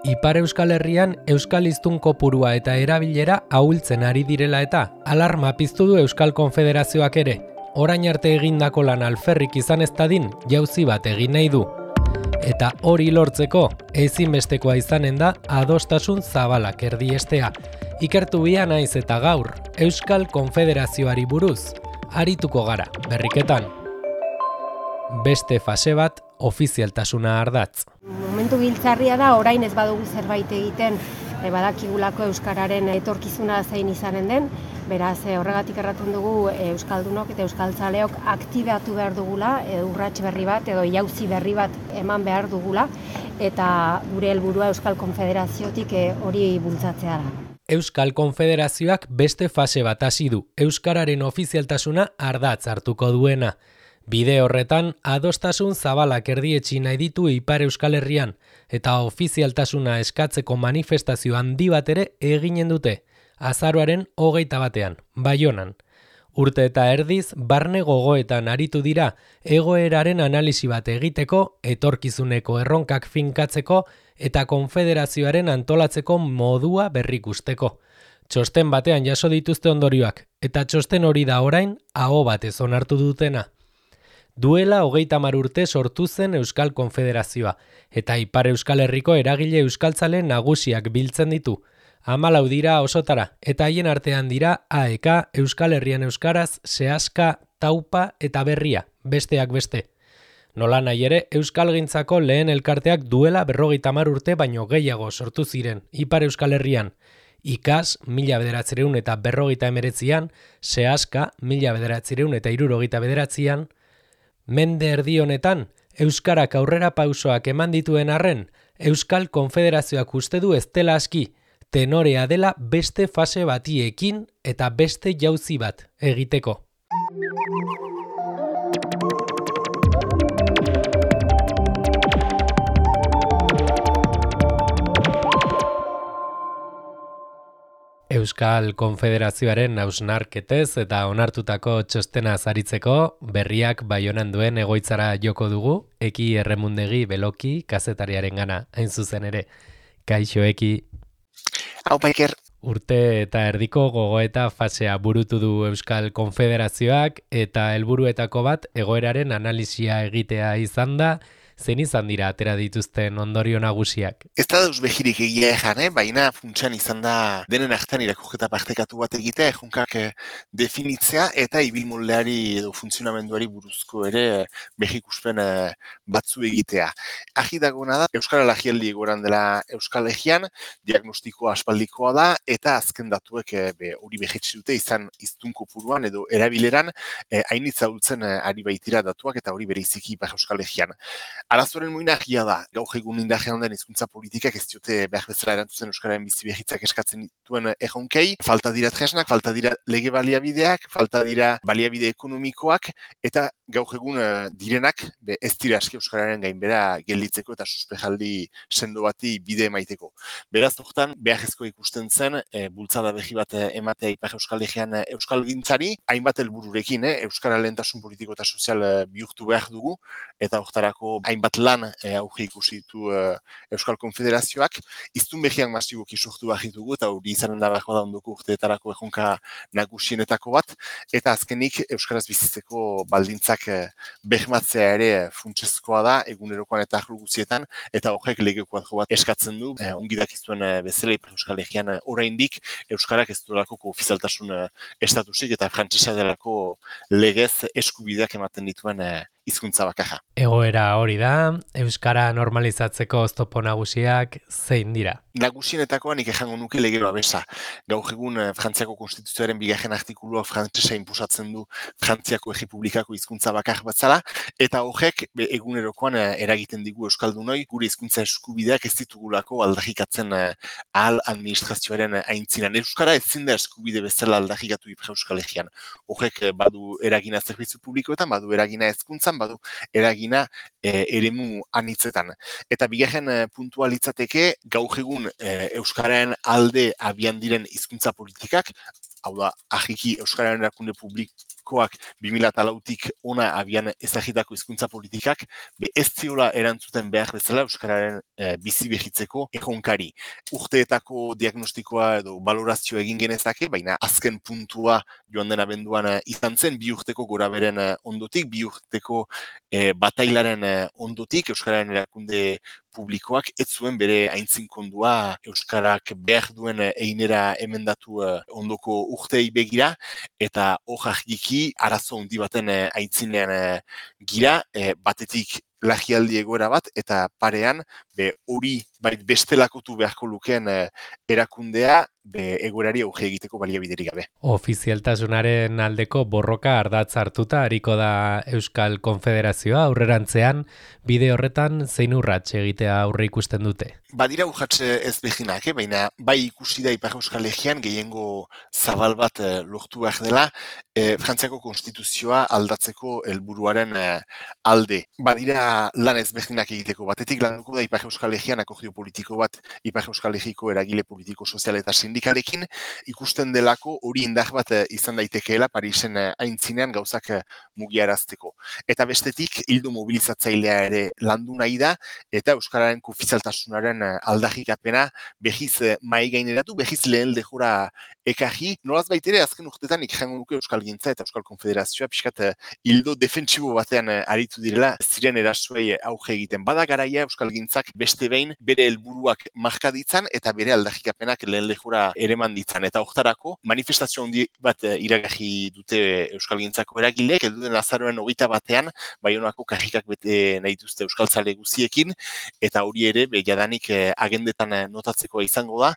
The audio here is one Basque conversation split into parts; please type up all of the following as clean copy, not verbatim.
Ipar Euskal Herrian euskal hiztun kopurua eta erabilera ahultzen ari direla eta alarma piztu du Euskal Konfederazioak ere. Orain arte egindako lan alferrik izan ez dadin, jauzi bat egin nahi du. Eta hori lortzeko, ezinbestekoa izanen da adostasun zabalak erdiestea. Ikertu bia naiz eta gaur, Euskal Konfederazioari buruz, arituko gara, berriketan. Beste fase bat, ofizialtasuna ardatz. Momentu giltzarria da, orain ez badugu zerbait egiten, badakigulako euskararen etorkizuna zein izanen den, beraz horregatik erraten dugu euskaldunok eta euskaltzaleok aktibatu behar dugula, urrats berri bat edo jauzi berri bat eman behar dugula, eta gure helburua Euskal Konfederaziotik hori bultzatzea da. Euskal Konfederazioak beste fase bat hasi du, euskararen ofizialtasuna ardatz hartuko duena. Bide horretan, adostasun zabalak erdietsi nahi ditu Ipar Euskal Herrian, eta ofizialtasuna eskatzeko manifestazio handi bat ere eginen dute, azaroaren 21, Baionan. Urte eta erdiz, barne gogoetan aritu dira, egoeraren analisi bat egiteko, etorkizuneko erronkak finkatzeko, eta konfederazioaren antolatzeko modua berrikusteko. Txosten batean jaso dituzte ondorioak, eta txosten hori da orain, aho batez onartu dutena. Duela 30 urte sortu zen Euskal Konfederazioa, eta Ipar Euskal Herriko eragile euskaltzale nagusiak biltzen ditu. 14 dira osotara, eta haien artean dira AEK, Euskal Herrian Euskaraz, Sehaska, Taupa eta Berria, besteak beste. Nola nahi ere, euskalgintzako lehen elkarteak duela 50 urte baino gehiago sortu ziren, Ipar Euskal Herrian. IKAS 1959an, Sehaska 1969an, Mende erdi honetan, euskarak aurrera pausoak eman dituen arren, Euskal Konfederazioak uste du ez dela aski, tenorea dela beste fase bati ekin eta beste jauzi bat egiteko. Euskal Konfederazioaren hausnarketez eta onartutako txostena zaritzeko, Berriak Baionan duen egoitzara joko dugu, Eki Erremundegi Beloki kazetariaren gana, hain zuzen ere. Kaixo Eki. Aupa Iker. Urte eta erdiko gogoeta fasea burutu du Euskal Konfederazioak eta helburuetako bat egoeraren analisia egitea izan da, zein izan dira atera dituzten ondorio nagusiak? Ez da dauz behirik egia ejan, baina funtsan izan da denen artean irakurketa partekatu bat egitea, ejunkak definitzea eta ibilmoldeari edo funtzionamenduari buruzko ere behikuspen batzu egitea. Agi dagona da, Euskara Lagialdi egoran dela Euskal Egian, diagnostikoa aspaldikoa da, eta azken datuek hori behitsi dute izan hiztun kopuruan edo erabileran hainitza hultzen ari baitira datuak eta hori bereiziki Ipar Euskal Egian. Arazoren muinagia da, gaur egun indarrean den hizkuntza politikak ez diote behar bezala erantzuten euskararen bizi behitzak eskatzen dituen erronkei, falta dira tresnak, falta dira lege baliabideak, falta dira baliabide ekonomikoak, eta gaur egun direnak ez dira aski euskararen gainbera gelditzeko eta suspejaldi sendo bati bide emaiteko. Beraz, hortan, beharrezko ikusten zen, bultzada behi bat ematea Ipar Euskal Herrian euskalgintzari, hainbat helbururekin, euskara lehentasun politiko eta sozial bihurtu behar dugu, eta hortarako hainbat lan auge ikusi ditu Euskal Konfederazioak, hiztun behiak masiboki sortu behar ditugu, eta hori izanen da behar da ondoko urteetarako erronka nagusienetako bat, eta azkenik euskaraz bizitzeko baldintzak bermatzea ere funtsezkoa da, egunerokoan eta arlo guztietan, eta horrek lege kuadro bat eskatzen du, ongi dakizuen bezala Ipar Euskal Herrian oraindik euskarak ez duelako ofizialtasun estatusik eta frantsesa delako legez eskubideak ematen dituen hizkuntza bakarra. Egoera hori da, euskara normalizatzeko oztopo nagusiak zein dira? Nagusienetakoa nik ejango nuke lege babesa. Gaur egun Frantziako Konstituzioaren 2. artikulua frantsesa inposatzen du Frantziako Errepublikako hizkuntza bakar batzala, eta horrek egunerokoan eragiten digu euskaldunoi gure hizkuntza eskubideak ez ditugulako aldarrikatzen ahal administrazioaren aintzinan. Euskara ezin da eskubide bezala aldarrikatu Ipar Euskal Herrian. Horrek badu eragina zerbitzu publikoetan, badu eragina hezkuntzan, badu eragina eremu anitzetan. Eta bigarren puntua litzateke, gaur egun euskararen alde abian diren hizkuntza politikak, hau da, ahiki euskararen erakunde publiko publikoak 2004tik ona abian ezagitako hizkuntza politikak ez ziola erantzuten behar bezala euskararen bizi behitzeko erronkari. Urteetako diagnostikoa edo balorazio egin genezake, baina azken puntua joan den abenduan izan zen, 2 urteko goraberen ondotik, 2 urteko batailaren ondotik, euskararen erakunde publikoak ez zuen bere aintzinkondua euskarak behar duen einera emendatu ondoko urtei begira, eta hor argiki arazo handi baten aitzinean gira, batetik lagialdi egoera bat, eta parean hori bestelakotu beharko lukeen erakundea egoerari auge egiteko baliabiderik gabe. Ofizialtasunaren aldeko borroka ardatz hartuta hariko da Euskal Konfederazioa aurrerantzean, bide horretan zein urrats egitea aurre ikusten dute? Badira urratxe ez behinak, baina bai ikusi da Ipar Euskal Herrian gehiengo zabal bat lortu behar dela Frantziako konstituzioa aldatzeko helburuaren alde. Badira lan ez behinak egiteko batetik landuko da Ipar Euskal Herrian akordio politiko bat Ipar Euskal Herriko eragile politiko sozial eta sindikalekin ikusten delako hori indar bat izan daitekeela Parisen aintzinean gauzak mugiarazteko. Eta bestetik hildo mobilizatzailea ere landu nahi da eta euskararen ofizialtasunaren aldarrikapena behiz mahai gaineratu, behiz lehen lehora ekarri. Nolaz baitere azken urtetan ikjango nuke Euskalgintza eta Euskal Konfederazioa pixkat hildo defentsibo batean aritu direla ziren erasuei auge egiten. Bada garaia Euskalgintzak beste behin bere helburuak marka ditzan eta bere aldarrikapenak lehen lehora ereman ditzan. Eta hortarako manifestazio handi bat iragarri dute Euskalgintzako eragileek, elduden azaroen 21 Baionako karrikak bete nahi duzte euskaltzale guziekin, eta hori ere jadanik agendetan notatzeko izango da,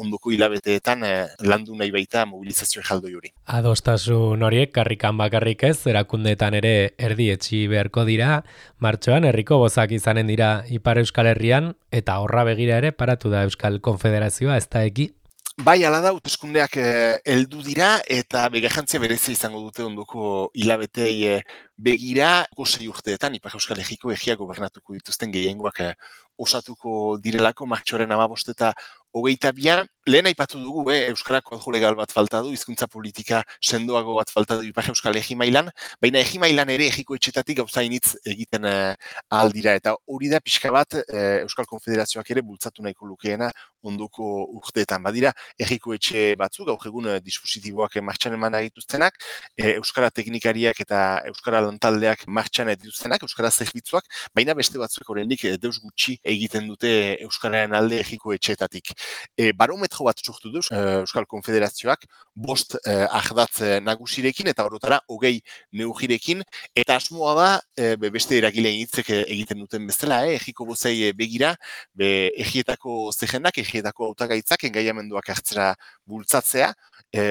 ondoko hilabeteetan landu nahi baita mobilizazio jaldoi hori. Adostasun horiek karrikan bakarrik ez, erakundeetan ere erdietxi beharko dira, martxoan herriko bozak izanen dira Ipar Euskal Herrian, eta horra begira ere paratu da Euskal Konfederazioa, ez da eki? Bai, ala da, hauteskundeak heldu dira eta begarrantzia berezia izango dute ondoko hilabetei begira, 6 urteetan Ipar Euskal Herriko egia gobernatuko dituzten gehiengoak osatuko direlako martxoaren 15 eta 22. Lehen aipatu dugu, Euskarako adjo legal bat falta du, hizkuntza politika sendoago bat falta du Ipar Euskal Herri mailan, baina Herri mailan ere herriko etxetatik gauza initz egiten ahal dira, eta hori da pixka bat Euskal Konfederazioak ere bultzatu nahiko lukeena ondoko urteetan. Badira, herriko etxe batzuk, gaur egun dispositiboak martxan eman dituztenak, Euskara teknikariak eta Euskara lantaldeak martxan dituztenak, Euskara zerbitzuak, baina beste batzuk oraindik deus gutxi egiten dute Euskararen alde herriko etxeetatik. Barometro bat sortu du Euskal Konfederazioak 5 ardatz nagusirekin eta orotara 20 neurrirekin, eta asmoa da beste eragile hitzek egiten duten bezala, herriko bozei begira, herrietako zerrendak, herrietako hautagaitzak engaiamenduak hartzera bultzatzea,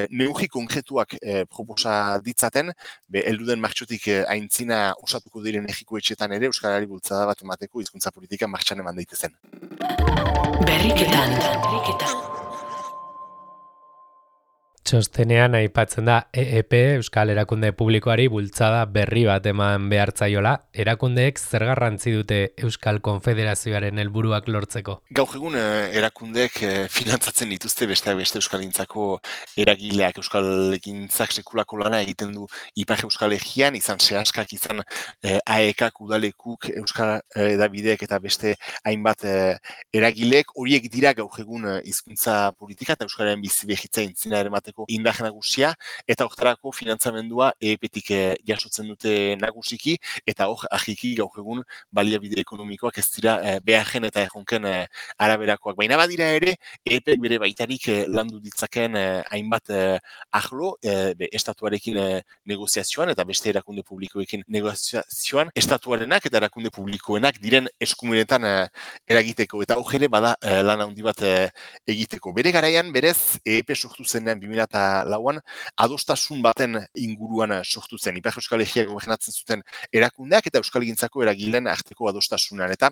neurri konkretuak proposa ditzaten, helduden martxotik aintzina osatuko diren herriko etxetan ere euskarari bultzada bat emateko hizkuntza politika martxan eman daitezen. Berriketan. Txostenean aipatzen da EEP, Euskal Erakunde Publikoari bultzada berri bat eman behartzaiola, erakundeek zer garrantzi dute Euskal Konfederazioaren helburuak lortzeko? Gaur egun erakundeek finantzatzen dituzte beste Euskalgintzako eragileak. Euskalgintzak sekulako lana egiten du Ipar Euskal Herrian, izan sehaskak, izan AEKak, udalekuk, Euskal Edabideek eta beste hainbat eragileek, horiek dira gaur egun hizkuntza politika eta Euskararen bizi behitza intzina eramateko indar nagusia, eta hortarako finantzamendua EEPtik jasotzen dute nagusiki, eta hor ahiki gaur egun baliabide ekonomikoak ez dira beharren eta erronken araberakoak. Baina badira ere, EEPek bere baitarik landu ditzakeen hainbat ahlo, estatuarekin negoziazioan eta beste erakunde publikoekin negoziazioan, estatuarenak eta erakunde publikoenak diren eskumenetan eragiteko, eta hor ere bada lan handi bat egiteko. Bere garaian, berez, EEP sortu zenean 2004an adostasun baten inguruan sortu zen. Ipar Euskal Herria gobernatzen zuten erakundeak eta Euskalgintzako eragileen arteko adostasunan, eta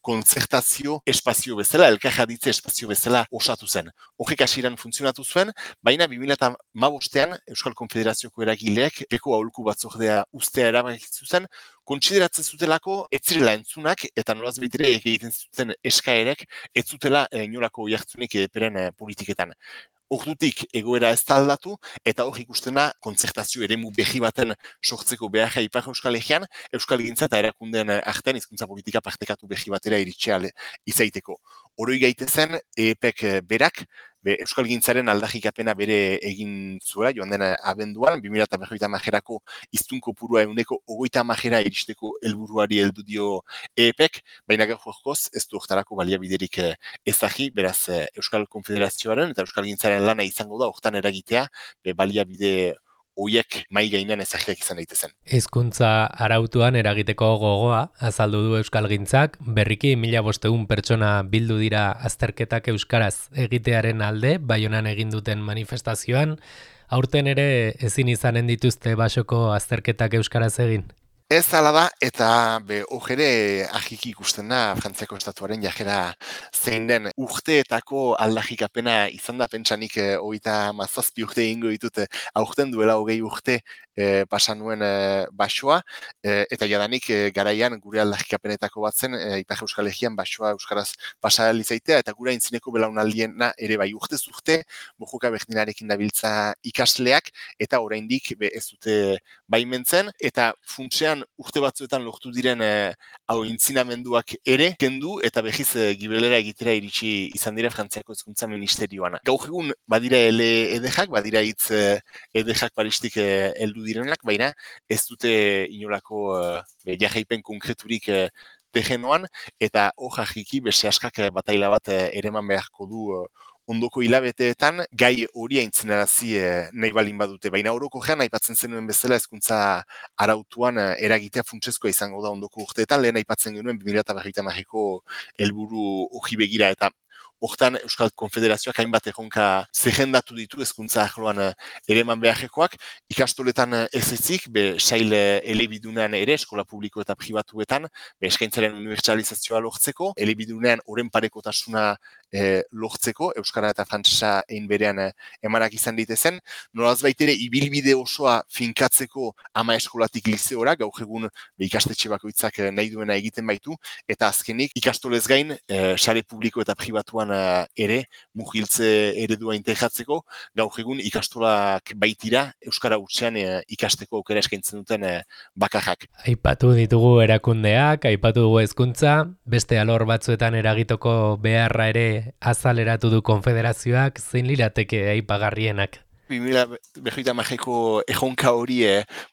kontzertazio espazio bezala, elkarjaditze espazio bezala osatu zen. Horrek hasieran funtzionatu zuen, baina 2015an Euskal Konfederazioko eragileek peko aholku batzordea ustea erabakitu zen, kontsideratzen zutelako ez zirela entzunak eta nolaz behitere egiten zuten eskaerek ez zutela inolako jartzunik EEPren politiketan. ordutik egoera ez da aldatu, eta hor ikustena kontzertazio eremu berri baten sortzeko beharra Ipar Euskal Herrian, euskalgintza eta erakundeen artean hizkuntza politika partekatu berri batera iritsi izaiteko. Oroi gaitezen, EEPek berak, euskalgintzaren aldarrikapena bere egin zuela, joan den abenduan, 2050erako hiztun kopurua 130 iristeko helburuari heldu dio EEPek, baina gaurkoz ez du hortarako baliabiderik ezagi, beraz Euskal Konfederazioaren eta euskalgintzaren lana izango da hortan eragitea, baliabide hoiek mai gainean ezagiak izan daitezen. Hizkuntza arautuan eragiteko gogoa azaldu du euskalgintzak, berriki 1500 pertsona bildu dira azterketak euskaraz egitearen alde, Baionan egin duten manifestazioan, aurten ere ezin izanen dituzte basoko azterketak euskaraz egin. Ez ala da, eta hor ere ahiki ikusten da Frantziako estatuaren jajera zein den urteetako aldarrikapena izan da, pentsanik 37 urte egingo ditut aurten duela 20 urte pasa nuen basoa, eta jadanik garaian gure aldarrikapenetako bat zen Ipar Euskal Herrian basoa euskaraz pasa izaitea, eta gure aintzineko belaunaldiena ere bai urtez urte, mojoka berdinarekin dabiltza ikasleak, eta oraindik ez dute baimentzen, eta funtsean urte batzuetan lortu diren intzinamenduak ere kendu eta behiz gibelera egitera iritsi izan dira Frantziako Hezkuntza Ministerioan. Gaur egun badira edejak, badira hitz edejak paristik heldu direnak, baina ez dute inolako jarraipen konkreturik terrenoan, eta hor jajiki beste askak bataila bat ereman beharko du ondoko hilabeteetan gai hori aintzinarazi nahi balin badute. Baina orokorrean aipatzen zenuen bezala hezkuntza arautuan eragitea funtsezkoa izango da ondoko urteetan, lehen aipatzen genuen 2050ko helburu hori begira, eta hortan Euskal Konfederazioak hainbat erronka zerrendatu ditu hezkuntza arloan ereman beharrekoak, ikastoletan ez ezik, sail elebidunean ere, eskola publiko eta pribatuetan, eskaintzaren unibertsalizazioa lortzeko, elebidunean oren parekotasuna lortzeko, euskara eta frantsesa egin berean emanak izan ditezen, nolaz baitere ibilbide osoa finkatzeko ama eskolatik lizeora, gaur egun ikastetxe bakoitzak nahi duena egiten baitu, eta azkenik ikastolez gain, sare publiko eta pribatuan ere, mugiltze eredua integratzeko, gaur egun ikastolak baitira, euskara hutsean ikasteko aukera eskaintzen duten bakarrak. Aipatu ditugu erakundeak, aipatu dugu hezkuntza, beste alor batzuetan eragitoko beharra ere azaleratu du konfederazioak, zein lirateke aipagarrienak? 2050ko erronka hori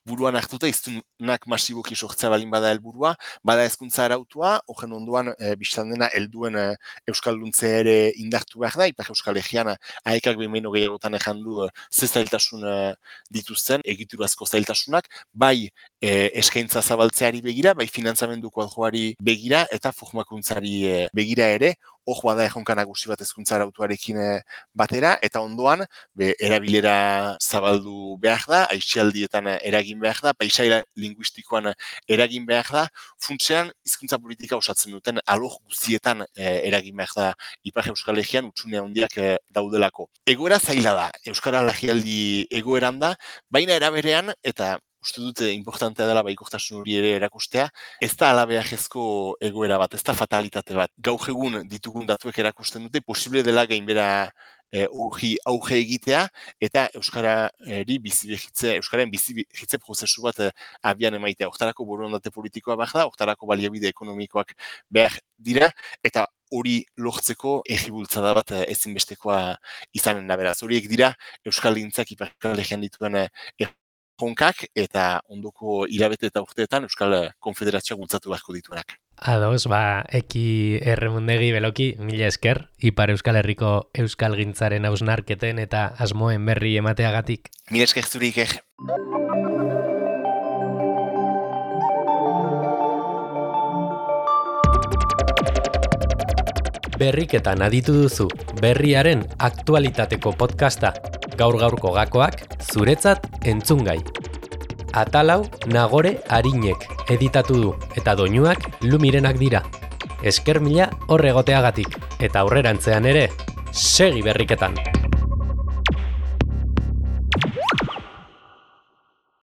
buruan hartuta, hiztunak masiboki sortzea balin bada helburua, bada hezkuntza arautua, horren ondoan bistan dena helduen euskalduntze ere indartu behar da, Ipar Euskal Herrian aekak behin gehiagotan ejan du ze zailtasun dituzten, egiturazko zailtasunak, bai eskaintza zabaltzeari begira, bai finantzamenduko aljoari begira, eta formakuntzari begira ere, hor bada erronka nagusi bat hezkuntza arautuarekin batera, eta ondoan erabilera zabaldu behar da, aisialdietan eragin behar da, paisaia linguistikoan eragin behar da, funtsean hizkuntza politika osatzen duten alor guztietan eragin behar da Ipar Euskal Herrian hutsune handiak daudelako. Egoera zaila da, euskara larrialdi egoeran da, baina eraberean, eta uste dute importantea dela baikortasun hori ere erakustea, ez da alabeajezko egoera bat, ez da fatalitate bat. Gaur egun ditugun datuek erakusten dute, posible dela gainbera auge egitea, eta euskararen bizi-behitze prozesu bat abian emaitea. Hortarako borondate politikoa behar da, hortarako baliabide ekonomikoak behar dira, eta hori lortzeko erribultzada bat ezinbestekoa izanen da beraz. Horiek dira euskalgintzak Ipar Euskal Herrian dituen erronkak eta ondoko hilabete eta urteetan Euskal Konfederazioa bultzatu beharko dituenak. Ados, Eki Erremundegi Beloki, mila esker, Ipar Euskal Herriko euskalgintzaren hausnarketen eta asmoen berri emateagatik. Mila esker zurik, Berriketan aditu duzu, berriaren aktualitateko podcasta, gaur-gaurko gakoak, zuretzat entzungai. Atalau Nagore Arinek editatu du, eta doinuak Lumirenak dira. Esker mila hor egoteagatik, eta aurrerantzean ere, segi berriketan!